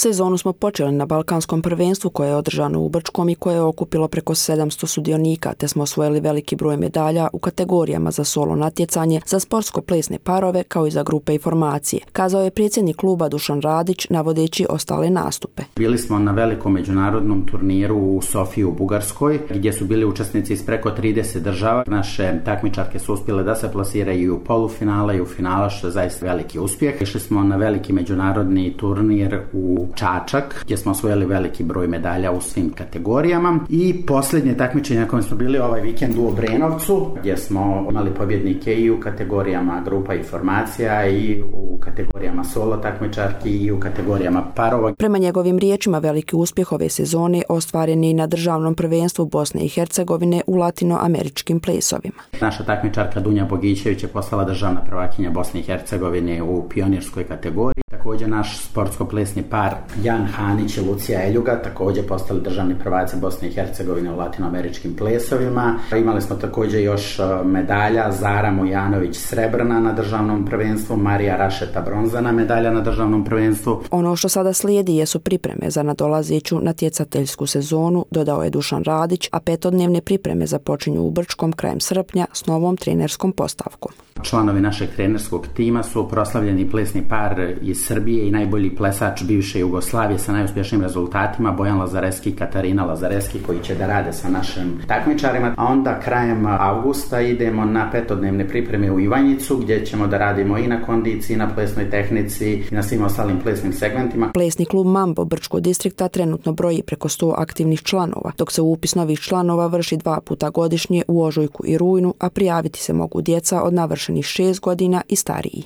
Sezonu smo počeli na Balkanskom prvenstvu koje je održano u Brčkom i koje je okupilo preko 700 sudionika, te smo osvojili veliki broj medalja u kategorijama za solo natjecanje, za sportsko-plesne parove kao i za grupe i formacije, kazao je predsjednik kluba Dušan Radić navodeći ostale nastupe. Bili smo na velikom međunarodnom turniru u Sofiji u Bugarskoj, gdje su bili učesnici iz preko 30 država. Naše takmičarke su uspjele da se plasiraju u polufinale i u finala, što je zaista veliki uspjeh. Išli smo na veliki međunarodni turnir u Čačak, gdje smo osvojili veliki broj medalja u svim kategorijama. I posljednje takmičenje na kojem smo bili ovaj vikend u Obrenovcu, gdje smo imali pobjednike i u kategorijama grupa i formacija i u kategorijama solo takmičarki i u kategorijama parova. Prema njegovim riječima, veliki uspjeh ove sezone ostvaren je i na državnom prvenstvu Bosne i Hercegovine u latinoameričkim plesovima. Naša takmičarka Dunja Bogićević je postala državna prvakinja Bosne i Hercegovine u pionirskoj kategoriji. Također naš sportsko-plesni par Jan Hanić i Lucija Eljuga također postali državni prvaci Bosne i Hercegovine u latinoameričkim plesovima. Imali smo također još medalja Zara Mujanović srebrna na državnom prvenstvu, Marija Rašeta bronzana medalja na državnom prvenstvu. Ono što sada slijedi jesu pripreme za nadolazeću natjecateljsku sezonu, dodao je Dušan Radić, a 5-dnevne pripreme započinju u Brčkom krajem srpnja s novom trenerskom postavkom. Članovi našeg trenerskog tima su proslavljeni plesni par iz Srbije i najbolji plesač bivše Jugoslavije sa najuspješnijim rezultatima Bojan Lazareski i Katarina Lazareski, koji će da rade sa našim takmičarima. A onda krajem avgusta idemo na 5-dnevne pripreme u Ivanjicu, gdje ćemo da radimo i na kondiciji, na plesnoj tehnici i na svim ostalim plesnim segmentima. Plesni klub Mambo Brčkog distrikta trenutno broji preko 100 aktivnih članova, dok se upis novih članova vrši 2 puta godišnje u ožujku i rujnu, a prijaviti se mogu djeca od navršenih 6 godina i stariji.